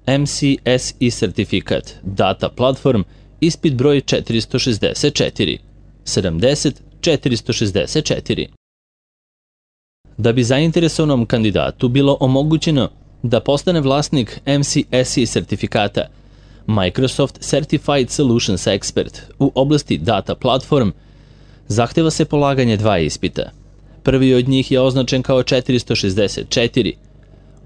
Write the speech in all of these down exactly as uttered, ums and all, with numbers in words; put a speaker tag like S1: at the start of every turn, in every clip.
S1: M C S I sertifikat, Data Platform, ispit broj četiristo šezdeset četiri, sedamdeset četiristo šezdeset četiri. Da bi zainteresovanom kandidatu bilo omogućeno da postane vlasnik M C S I sertifikata, Microsoft Certified Solutions Expert u oblasti Data Platform, zahteva se polaganje dva ispita. Prvi od njih je označen kao četiristo šezdeset četiri,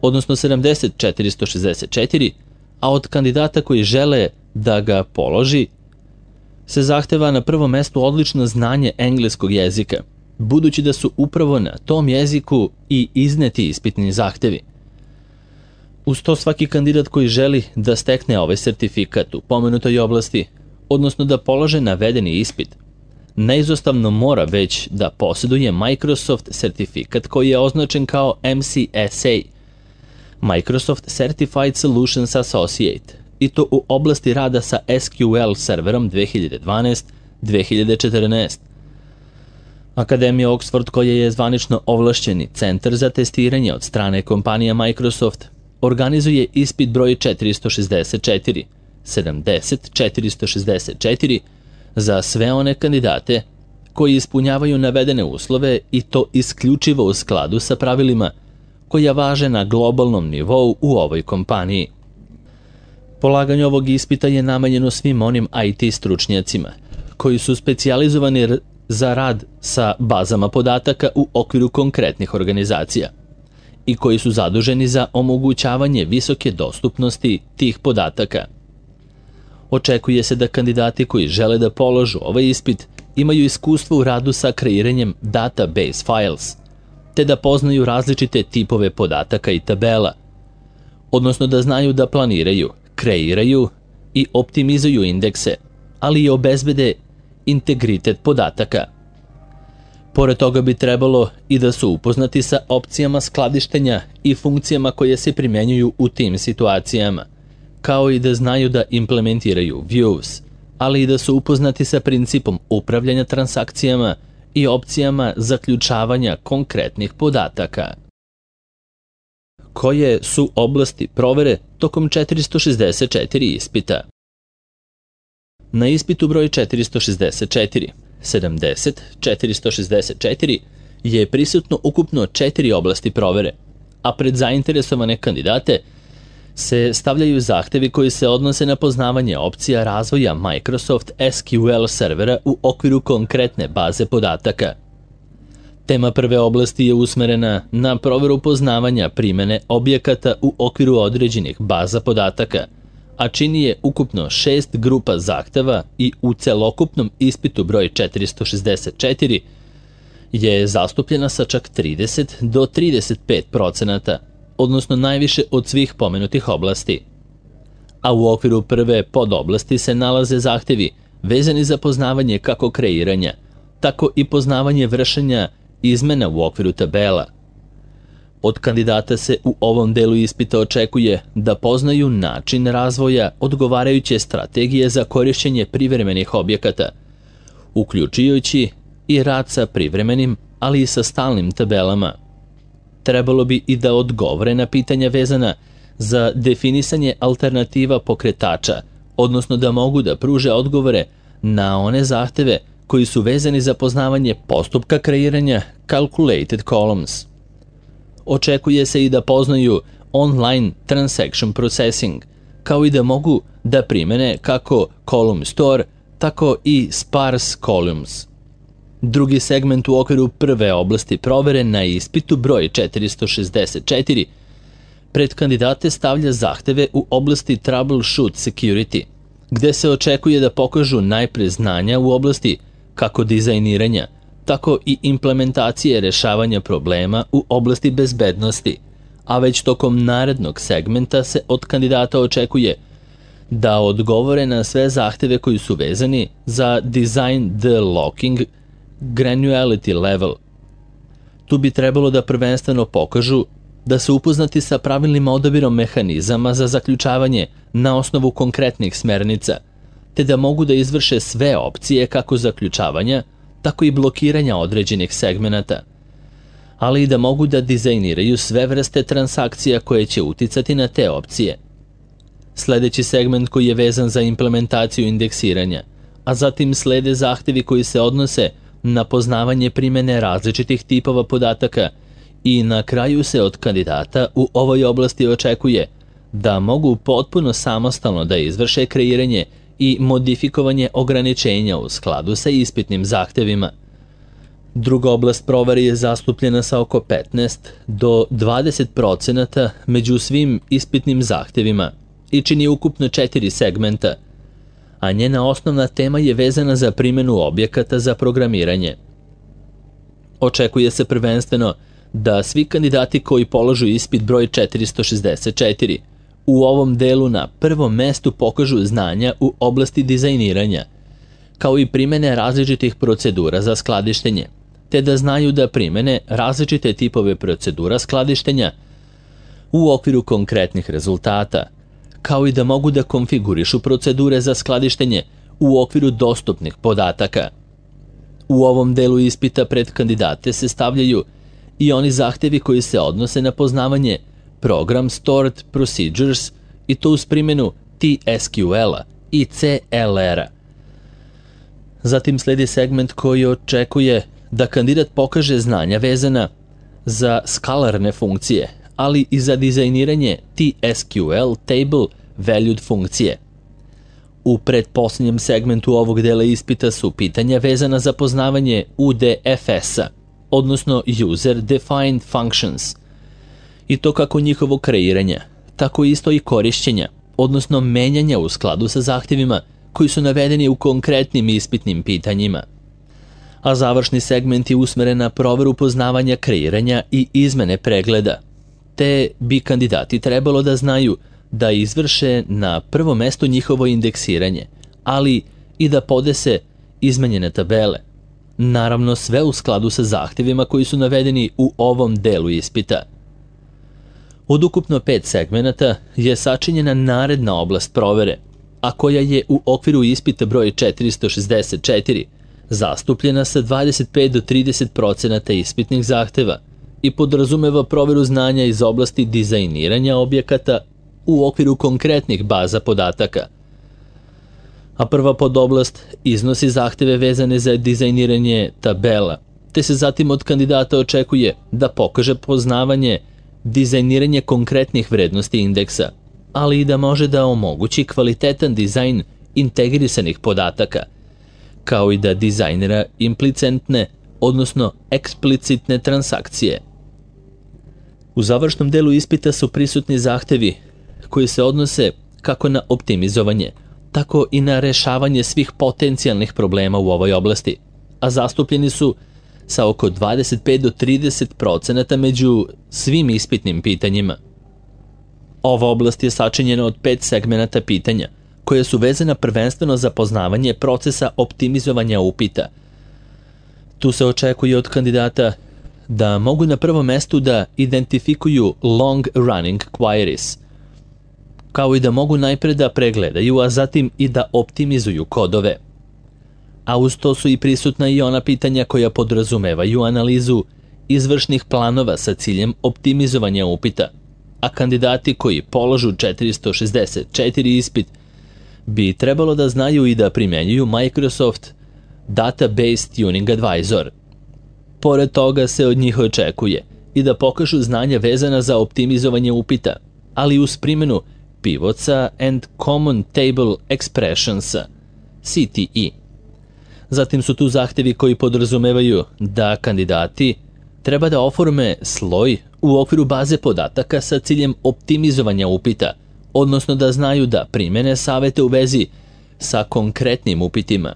S1: odnosno sedamdeset četiristo šezdeset četiri, a od kandidata koji žele da ga položi se zahteva na prvom mestu odlično znanje engleskog jezika, budući da su upravo na tom jeziku i izneti ispitni zahtevi. Uz to svaki kandidat koji želi da stekne ovaj sertifikat u pomenutoj oblasti, odnosno da polaže navedeni ispit, neizostavno mora već da posjeduje Microsoft sertifikat koji je označen kao M C S A, Microsoft Certified Solutions Associate, i to u oblasti rada sa S Q L serverom dve hiljade dvanaest do dve hiljade četrnaest. Akademija Oxford, koja je zvanično ovlašćeni centar za testiranje od strane kompanija Microsoft, organizuje ispit broj četiristo šezdeset četiri, sedamdeset četiristo šezdeset četiri za sve one kandidate koji ispunjavaju navedene uslove i to isključivo u skladu sa pravilima koja važe na globalnom nivou u ovoj kompaniji. Polaganje ovog ispita je namenjeno svim onim I T stručnjacima koji su specijalizovani za rad sa bazama podataka u okviru konkretnih organizacija i koji su zaduženi za omogućavanje visoke dostupnosti tih podataka. Očekuje se da kandidati koji žele da položu ovaj ispit imaju iskustvo u radu sa kreiranjem database files, te da poznaju različite tipove podataka i tabela, odnosno da znaju da planiraju, kreiraju i optimizuju indekse, ali i obezbede integritet podataka. Pored toga bi trebalo i da su upoznati sa opcijama skladištenja i funkcijama koje se primenjuju u tim situacijama, kao i da znaju da implementiraju views, ali i da su upoznati sa principom upravljanja transakcijama i opcijama zaključavanja konkretnih podataka. Koje su oblasti provere tokom četiristo šezdeset četiri ispita? Na ispitu broj četiristo šezdeset četiri, sedamdeset četiristo šezdeset četiri je prisutno ukupno četiri oblasti provere, a pred zainteresovane kandidate se stavljaju zahtevi koji se odnose na poznavanje opcija razvoja Microsoft S Q L servera u okviru konkretne baze podataka. Tema prve oblasti je usmerena na proveru poznavanja primene objekata u okviru određenih baza podataka, a čini je ukupno šest grupa zahteva i u celokupnom ispitu broj četiristo šezdeset četiri je zastupljena sa čak trideset do trideset pet procenata, odnosno najviše od svih pomenutih oblasti. A u okviru prve podoblasti se nalaze zahtevi vezani za poznavanje kako kreiranja, tako i poznavanje vršenja izmena u okviru tabela. Od kandidata se u ovom delu ispita očekuje da poznaju način razvoja odgovarajuće strategije za korišćenje privremenih objekata, uključujući i rad sa privremenim, ali i sa stalnim tabelama. Trebalo bi i da odgovore na pitanja vezana za definisanje alternativa pokretača, odnosno da mogu da pruže odgovore na one zahteve koji su vezani za poznavanje postupka kreiranja calculated columns. Očekuje se i da poznaju online transaction processing, kao i da mogu da primene kako column store, tako i sparse columns. Drugi segment u okviru prve oblasti provere na ispitu broj četiristo šezdeset četiri pred kandidate stavlja zahteve u oblasti troubleshoot security, gde se očekuje da pokažu najpre znanja u oblasti kako dizajniranja, tako i implementacije rešavanja problema u oblasti bezbednosti, a već tokom narednog segmenta se od kandidata očekuje da odgovore na sve zahteve koji su vezani za design the locking granularity level. Tu bi trebalo da prvenstveno pokažu da su upoznati sa pravilnim odabirom mehanizama za zaključavanje na osnovu konkretnih smernica, te da mogu da izvrše sve opcije kako zaključavanja, tako i blokiranja određenih segmenata, ali i da mogu da dizajniraju sve vrste transakcija koje će uticati na te opcije. sledeći segment koji je vezan za implementaciju indeksiranja, a zatim slede zahtevi koji se odnose na poznavanje primene različitih tipova podataka i na kraju se od kandidata u ovoj oblasti očekuje da mogu potpuno samostalno da izvrše kreiranje i modifikovanje ograničenja u skladu sa ispitnim zahtevima. Druga oblast provere je zastupljena sa oko petnaest do dvadeset procenata među svim ispitnim zahtevima i čini ukupno četiri segmenta, a njena osnovna tema je vezana za primjenu objekata za programiranje. Očekuje se prvenstveno da svi kandidati koji polažu ispit broj četiristo šezdeset četiri u ovom delu na prvom mestu pokažu znanja u oblasti dizajniranja, kao i primene različitih procedura za skladištenje, te da znaju da primene različite tipove procedura skladištenja u okviru konkretnih rezultata, kao i da mogu da konfigurišu procedure za skladištenje u okviru dostupnih podataka. U ovom delu ispita pred kandidate se stavljaju i oni zahtevi koji se odnose na poznavanje Program Stored Procedures i to uz primjenu T S Q L-a i C L R-a. Zatim sledi segment koji očekuje da kandidat pokaže znanja vezana za skalarne funkcije, ali i za dizajniranje T S Q L Table Valued funkcije. U pretposlednjem segmentu ovog dela ispita su pitanja vezana za poznavanje U D F S-a, odnosno User Defined Functions, i to kako njihovo kreiranja, tako isto i korišćenja, odnosno menjanja u skladu sa zahtjevima koji su navedeni u konkretnim ispitnim pitanjima. A završni segment je usmeren na proveru poznavanja kreiranja i izmene pregleda, te bi kandidati trebalo da znaju da izvrše na prvo mesto njihovo indeksiranje, ali i da podese izmenjene tabele. Naravno, sve u skladu sa zahtjevima koji su navedeni u ovom delu ispita. Od ukupno pet segmenata je sačinjena naredna oblast provere, a koja je u okviru ispita broj četiristo šezdeset četiri zastupljena sa dvadeset pet do trideset procenata ispitnih zahteva i podrazumeva proveru znanja iz oblasti dizajniranja objekata u okviru konkretnih baza podataka. A prva podoblast iznosi zahteve vezane za dizajniranje tabela, te se zatim od kandidata očekuje da pokaže poznavanje dizajniranje konkretnih vrednosti indeksa, ali i da može da omogući kvalitetan dizajn integrisanih podataka, kao i da dizajnira implicentne, odnosno eksplicitne transakcije. U završnom delu ispita su prisutni zahtevi koji se odnose kako na optimizovanje, tako i na rešavanje svih potencijalnih problema u ovoj oblasti, a zastupljeni su sa oko dvadeset pet do trideset procenata među svim ispitnim pitanjima. Ova oblast je sačinjena od pet segmenata pitanja, koje su vezana prvenstveno za poznavanje procesa optimizovanja upita. Tu se očekuje od kandidata da mogu na prvom mestu da identifikuju long running queries, kao i da mogu najpre da pregledaju, a zatim i da optimizuju kodove. A uz to su i prisutna i ona pitanja koja podrazumevaju analizu izvršnih planova sa ciljem optimizovanja upita, a kandidati koji polažu četiristo šezdeset četiri ispit bi trebalo da znaju i da primjenjuju Microsoft Database Tuning Advisor. Pored toga se od njih očekuje i da pokažu znanja vezana za optimizovanje upita, ali uz primjenu Pivotsa and Common Table Expressionsa, C T E. Zatim su tu zahtevi koji podrazumevaju da kandidati treba da oforme sloj u okviru baze podataka sa ciljem optimizovanja upita, odnosno da znaju da primene savete u vezi sa konkretnim upitima,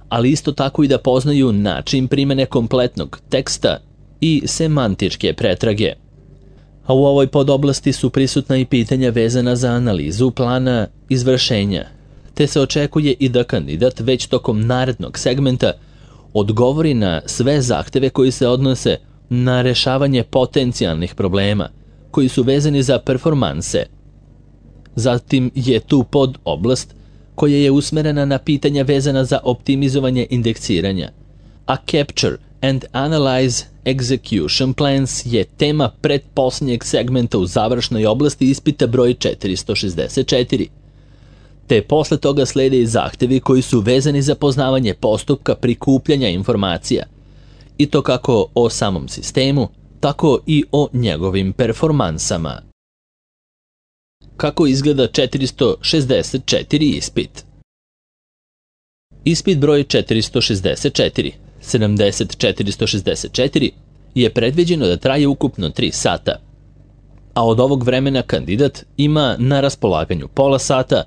S1: ali isto tako i da poznaju način primene kompletnog teksta i semantičke pretrage. A u ovoj podoblasti su prisutna i pitanja vezana za analizu plana izvršenja, te se očekuje i da kandidat već tokom narednog segmenta odgovori na sve zahteve koji se odnose na rešavanje potencijalnih problema koji su vezani za performanse. Zatim je tu pod oblast koja je usmerena na pitanja vezana za optimizovanje indeksiranja, a Capture and Analyze Execution Plans je tema pretposlednjeg segmenta u završnoj oblasti ispita broj četiristo šezdeset četiri. Te posle toga slede i zahtevi koji su vezani za poznavanje postupka prikupljanja informacija, i to kako o samom sistemu, tako i o njegovim performansama. Kako izgleda četiristo šezdeset četiri ispit? Ispit broj četiristo šezdeset četiri, sedamdeset četiristo šezdeset četiri je predviđeno da traje ukupno tri sata, a od ovog vremena kandidat ima na raspolaganju pola sata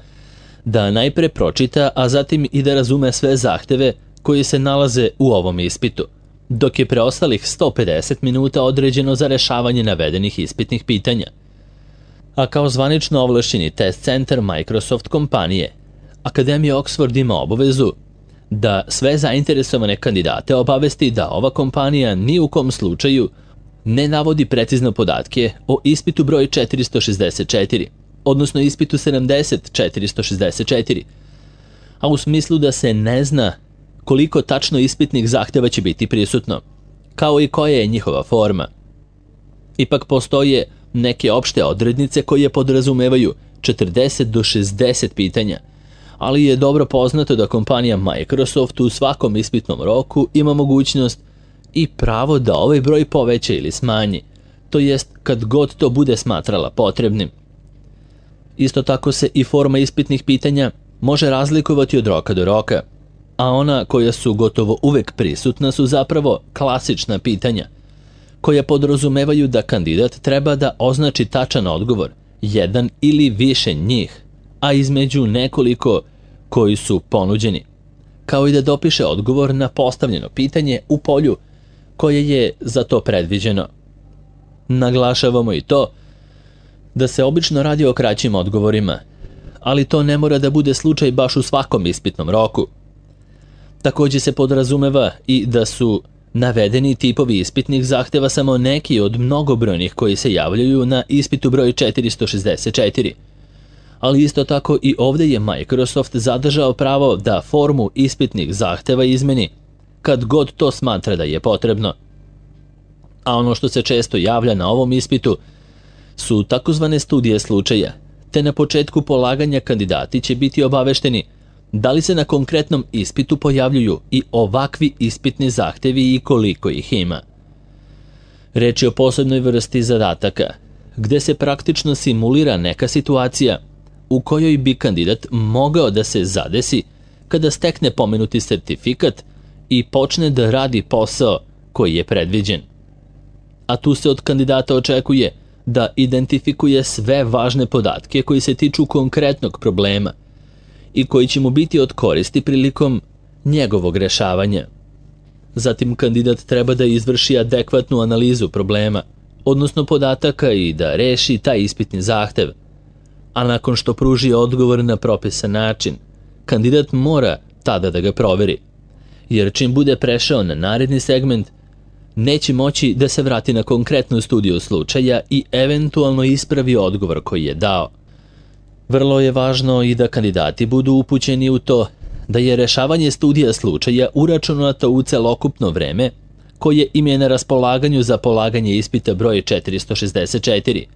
S1: da najpre pročita, a zatim i da razume sve zahteve koji se nalaze u ovom ispitu, dok je preostalih sto pedeset minuta određeno za rešavanje navedenih ispitnih pitanja. A kao zvanično ovlašćeni test centar Microsoft kompanije, Akademija Oxford ima obavezu da sve zainteresovane kandidate obavesti da ova kompanija ni u kom slučaju ne navodi precizno podatke o ispitu broj četiristo šezdeset četiri, odnosno ispitu sedamdeset četiristo šezdeset četiri, a u smislu da se ne zna koliko tačno ispitnih zahteva će biti prisutno, kao i koja je njihova forma. Ipak postoje neke opšte odrednice koje podrazumevaju četrdeset do šezdeset pitanja, ali je dobro poznato da kompanija Microsoft u svakom ispitnom roku ima mogućnost i pravo da ovaj broj poveća ili smanji, to jest kad god to bude smatrala potrebnim. Isto tako se i forma ispitnih pitanja može razlikovati od roka do roka, a ona koja su gotovo uvek prisutna su zapravo klasična pitanja, koja podrazumevaju da kandidat treba da označi tačan odgovor, jedan ili više njih, a između nekoliko koji su ponuđeni, kao i da dopiše odgovor na postavljeno pitanje u polju koje je za to predviđeno. Naglašavamo i to da se obično radi o kraćim odgovorima, ali to ne mora da bude slučaj baš u svakom ispitnom roku. Takođe se podrazumeva i da su navedeni tipovi ispitnih zahteva samo neki od mnogobrojnih koji se javljaju na ispitu broj četiristo šezdeset četiri. Ali isto tako i ovde je Microsoft zadržao pravo da formu ispitnih zahteva izmeni kad god to smatra da je potrebno. A ono što se često javlja na ovom ispitu su takozvane studije slučaja, te na početku polaganja kandidati će biti obavešteni da li se na konkretnom ispitu pojavljuju i ovakvi ispitni zahtevi i koliko ih ima. Reč je o posebnoj vrsti zadataka, gde se praktično simulira neka situacija u kojoj bi kandidat mogao da se zadesi kada stekne pomenuti sertifikat i počne da radi posao koji je predviđen. A tu se od kandidata očekuje da identifikuje sve važne podatke koji se tiču konkretnog problema i koji će mu biti od koristi prilikom njegovog rešavanja. Zatim kandidat treba da izvrši adekvatnu analizu problema, odnosno podataka, i da reši taj ispitni zahtev. A nakon što pruži odgovor na propisan način, kandidat mora tada da ga proveri, jer čim bude prešao na naredni segment, neće moći da se vrati na konkretnu studiju slučaja i eventualno ispravi odgovor koji je dao. Vrlo je važno i da kandidati budu upućeni u to da je rešavanje studija slučaja uračunato u celokupno vreme koje im je na raspolaganju za polaganje ispita broj četiristo šezdeset četiri,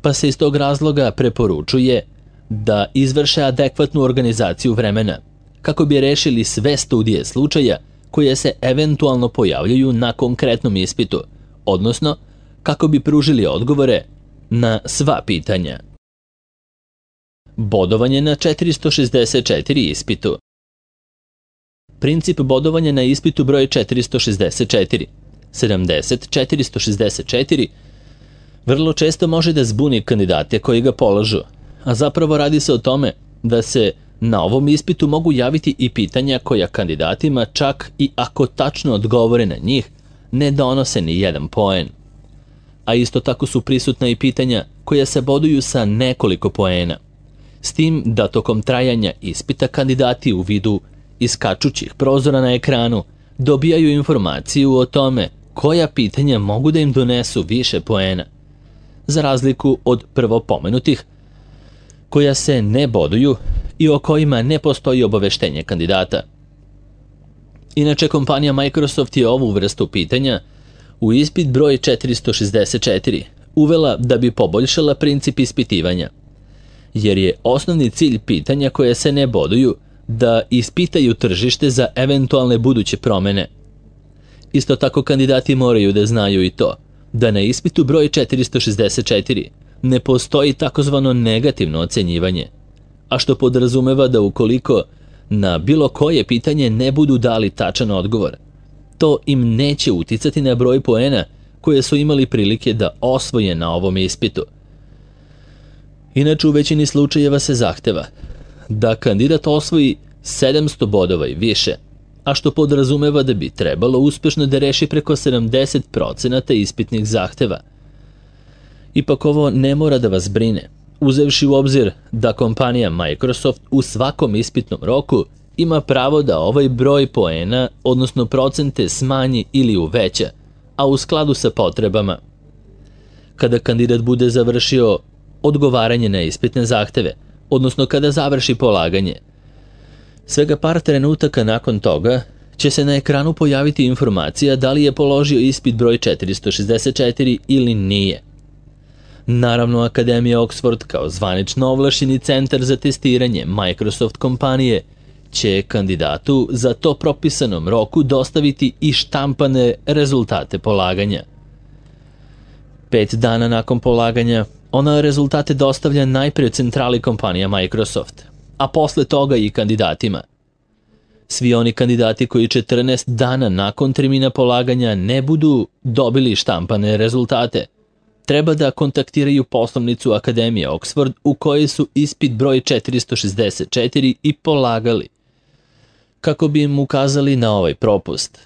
S1: pa se iz tog razloga preporučuje da izvrše adekvatnu organizaciju vremena kako bi rešili sve studije slučaja koje se eventualno pojavljaju na konkretnom ispitu, odnosno kako bi pružili odgovore na sva pitanja. Bodovanje na četiristo šezdeset četiri ispitu. Princip bodovanja na ispitu broj četiristo šezdeset četiri, sedamdeset četiristo šezdeset četiri vrlo često može da zbuni kandidate koji ga polažu, a zapravo radi se o tome da se na ovom ispitu mogu javiti i pitanja koja kandidatima, čak i ako tačno odgovore na njih, ne donose ni jedan poen. A isto tako su prisutna i pitanja koja se boduju sa nekoliko poena, s tim da tokom trajanja ispita kandidati u vidu iskačućih prozora na ekranu dobijaju informaciju o tome koja pitanja mogu da im donesu više poena, za razliku od prvo pomenutih, koja se ne boduju i o kojima ne postoji obaveštenje kandidata. Inače, kompanija Microsoft je ovu vrstu pitanja u ispit broj četiristo šezdeset četiri uvela da bi poboljšala princip ispitivanja, jer je osnovni cilj pitanja koje se ne boduju da ispitaju tržište za eventualne buduće promene. Isto tako, kandidati moraju da znaju i to da na ispitu broj četiristo šezdeset četiri ne postoji takozvano negativno ocenjivanje, a što podrazumeva da ukoliko na bilo koje pitanje ne budu dali tačan odgovor, to im neće uticati na broj poena koje su imali prilike da osvoje na ovom ispitu. Inače, u većini slučajeva se zahteva da kandidat osvoji sedamsto bodova i više, a što podrazumeva da bi trebalo uspešno da reši preko sedamdeset procenata ispitnih zahteva. Ipak ovo ne mora da vas brine, uzevši u obzir da kompanija Microsoft u svakom ispitnom roku ima pravo da ovaj broj poena, odnosno procente, smanji ili uveća, a u skladu sa potrebama. Kada kandidat bude završio odgovaranje na ispitne zahteve, odnosno kada završi polaganje, svega par trenutaka nakon toga će se na ekranu pojaviti informacija da li je položio ispit broj četiristo šezdeset četiri ili nije. Naravno, Akademija Oxford kao zvanično ovlašćeni centar za testiranje Microsoft kompanije će kandidatu za to propisanom roku dostaviti i štampane rezultate polaganja. Pet dana nakon polaganja, ona rezultate dostavlja najpre centrali kompanija Microsoft, a posle toga i kandidatima. Svi oni kandidati koji četrnaest dana nakon termina polaganja ne budu dobili štampane rezultate, treba da kontaktiraju poslovnicu Akademije Oxford u kojoj su ispit broj četiristo šezdeset četiri i polagali, kako bi im ukazali na ovaj propust,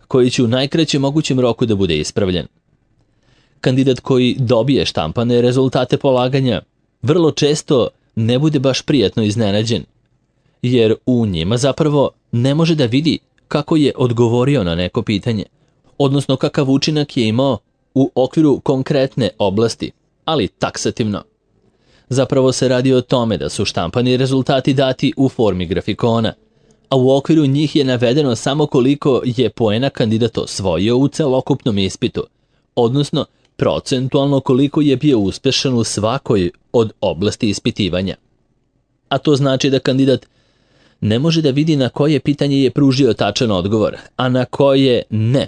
S1: koji će u najkraćem mogućem roku da bude ispravljen. Kandidat koji dobije štampane rezultate polaganja vrlo često ne bude baš prijatno iznenađen, jer u njima zapravo ne može da vidi kako je odgovorio na neko pitanje, odnosno kakav učinak je imao u okviru konkretne oblasti, ali taksativno. Zapravo se radi o tome da su štampani rezultati dati u formi grafikona, a u okviru njih je navedeno samo koliko je poena kandidat osvojio u celokupnom ispitu, odnosno procentualno koliko je bio uspešan u svakoj od oblasti ispitivanja. A to znači da kandidat ne može da vidi na koje pitanje je pružio tačan odgovor, a na koje ne.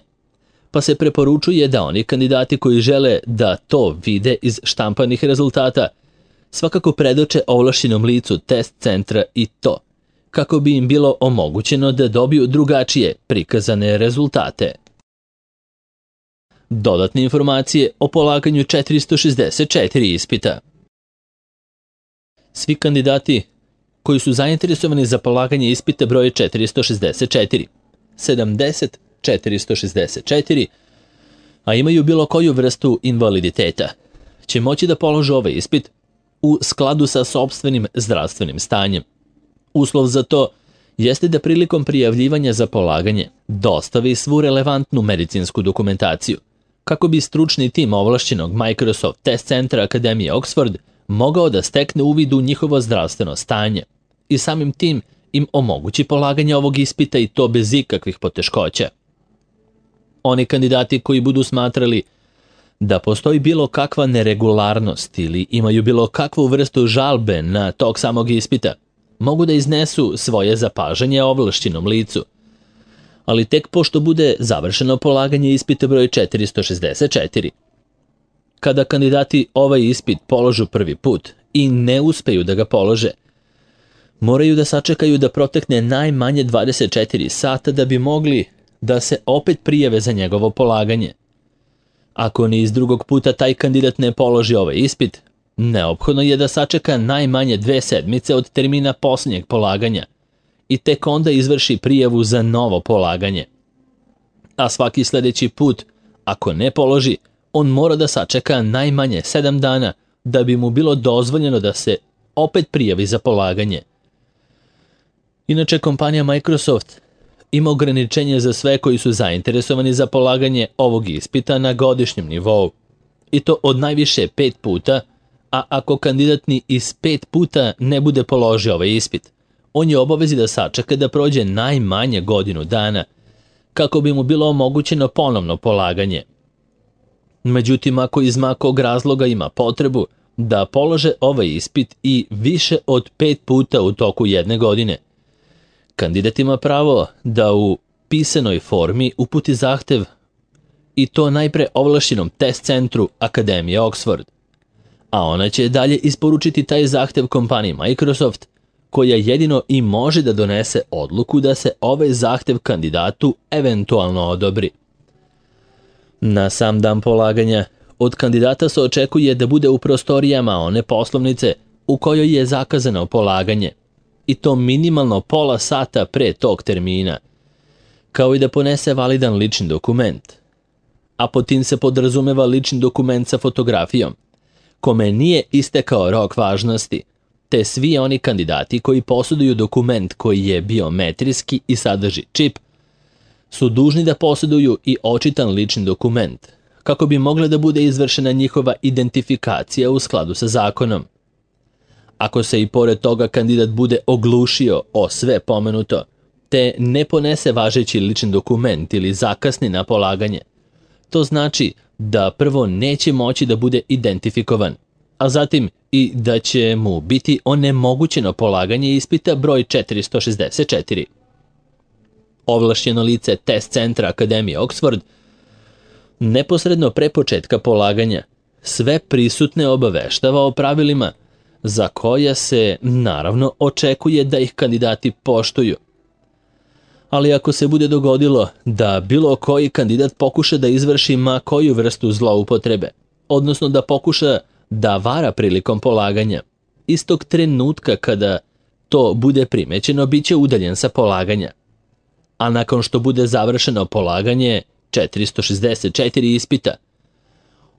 S1: Pa se preporučuje da oni kandidati koji žele da to vide iz štampanih rezultata svakako predoče ovlašćenom licu test centra i to, kako bi im bilo omogućeno da dobiju drugačije prikazane rezultate. Dodatne informacije o polaganju četiristo šezdeset četiri ispita. Svi kandidati koji su zainteresovani za polaganje ispita broj četiristo šezdeset četiri, sedamdeset, četiristo šezdeset četiri, a imaju bilo koju vrstu invaliditeta, će moći da polože ovaj ispit u skladu sa sopstvenim zdravstvenim stanjem. Uslov za to jeste da prilikom prijavljivanja za polaganje dostavi svu relevantnu medicinsku dokumentaciju, kako bi stručni tim ovlašćenog Microsoft Test Centra Akademije Oxford mogao da stekne uvid u njihovo zdravstveno stanje i samim tim im omogući polaganje ovog ispita i to bez ikakvih poteškoća. Oni kandidati koji budu smatrali da postoji bilo kakva neregularnost ili imaju bilo kakvu vrstu žalbe na tog samog ispita, mogu da iznesu svoje zapažanje ovlašćenom licu, ali tek pošto bude završeno polaganje ispita broj četiristo šezdeset četiri. Kada kandidati ovaj ispit položu prvi put i ne uspeju da ga polože, moraju da sačekaju da protekne najmanje dvadeset četiri sata da bi mogli da se opet prijave za njegovo polaganje. Ako ni iz drugog puta taj kandidat ne položi ovaj ispit, neophodno je da sačeka najmanje dve sedmice od termina posljednjeg polaganja i tek onda izvrši prijavu za novo polaganje. A svaki sljedeći put, ako ne položi, on mora da sačeka najmanje sedam dana da bi mu bilo dozvoljeno da se opet prijavi za polaganje. Inače, kompanija Microsoft ima ograničenje za sve koji su zainteresovani za polaganje ovog ispita na godišnjem nivou, i to od najviše pet puta, a ako kandidat ni iz pet puta ne bude položio ovaj ispit, on je obavezi da sačeka da prođe najmanje godinu dana kako bi mu bilo omogućeno ponovno polaganje. Međutim, ako iz ma kog razloga ima potrebu da polože ovaj ispit i više od pet puta u toku jedne godine, kandidat ima pravo da u pisanoj formi uputi zahtev i to najpre ovlašćenom test centru Akademije Oxford, a ona će dalje isporučiti taj zahtev kompaniji Microsoft, koja jedino i može da donese odluku da se ovaj zahtev kandidatu eventualno odobri. Na sam dan polaganja, od kandidata se očekuje da bude u prostorijama one poslovnice u kojoj je zakazano polaganje, i to minimalno pola sata pre tog termina, kao i da ponese validan lični dokument. A pod tim se podrazumeva lični dokument sa fotografijom, kome nije istekao rok važnosti, te svi oni kandidati koji posjeduju dokument koji je biometrijski i sadrži čip, su dužni da posjeduju i očitan lični dokument, kako bi mogla da bude izvršena njihova identifikacija u skladu sa zakonom. Ako se i pored toga kandidat bude oglušio o sve pomenuto, te ne ponese važeći lični dokument ili zakasni na polaganje, to znači da prvo neće moći da bude identifikovan, a zatim i da će mu biti onemogućeno polaganje ispita broj četiristo šezdeset četiri. Ovlašćeno lice test centra Akademije Oxford neposredno pre početka polaganja sve prisutne obaveštava o pravilima za koja se, naravno, očekuje da ih kandidati poštuju. Ali ako se bude dogodilo da bilo koji kandidat pokuša da izvrši ma koju vrstu zloupotrebe, odnosno da pokuša da vara prilikom polaganja, istog trenutka kada to bude primećeno, bit će udaljen sa polaganja. A nakon što bude završeno polaganje četiristo šezdeset četiri ispita,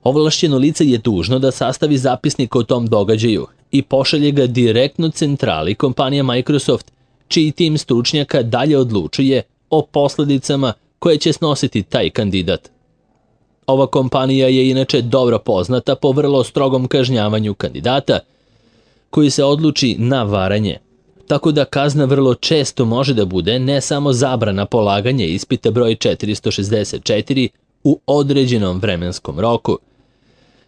S1: ovlašćeno lice je dužno da sastavi zapisnik o tom događaju i pošalje ga direktno centrali kompanije Microsoft, čiji tim stručnjaka dalje odlučuje o posledicama koje će snositi taj kandidat. Ova kompanija je inače dobro poznata po vrlo strogom kažnjavanju kandidata koji se odluči na varanje, tako da kazna vrlo često može da bude ne samo zabrana polaganja ispita broj četiristo šezdeset četiri u određenom vremenskom roku,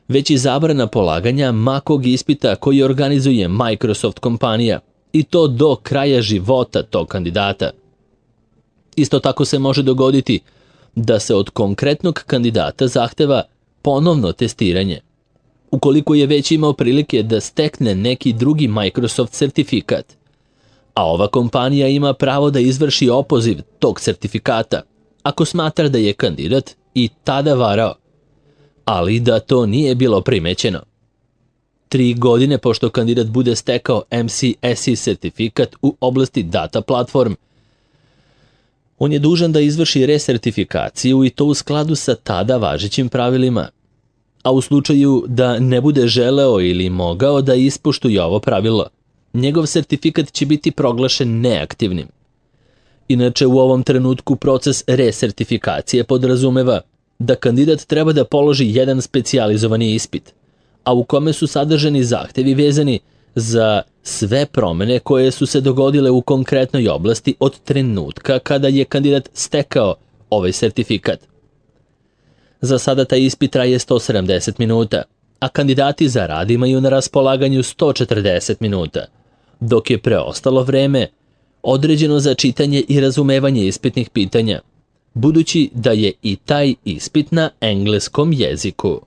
S1: već i zabrana polaganja makog ispita koji organizuje Microsoft kompanija, i to do kraja života tog kandidata. Isto tako se može dogoditi da se od konkretnog kandidata zahteva ponovno testiranje, ukoliko je već imao prilike da stekne neki drugi Microsoft sertifikat, a ova kompanija ima pravo da izvrši opoziv tog sertifikata ako smatra da je kandidat i tada varao, ali da to nije bilo primećeno. Tri godine pošto kandidat bude stekao M C S E sertifikat u oblasti data platform, on je dužan da izvrši resertifikaciju i to u skladu sa tada važećim pravilima, a u slučaju da ne bude želeo ili mogao da ispoštuje ovo pravilo, njegov sertifikat će biti proglašen neaktivnim. Inače, u ovom trenutku proces resertifikacije podrazumeva da kandidat treba da položi jedan specijalizovani ispit, a u kome su sadržani zahtevi vezani za sve promene koje su se dogodile u konkretnoj oblasti od trenutka kada je kandidat stekao ovaj sertifikat. Za sada taj ispit traje sto sedamdeset minuta, a kandidati za rad imaju na raspolaganju sto četrdeset minuta, dok je preostalo vreme određeno za čitanje i razumevanje ispitnih pitanja, budući da je i taj ispit na engleskom jeziku.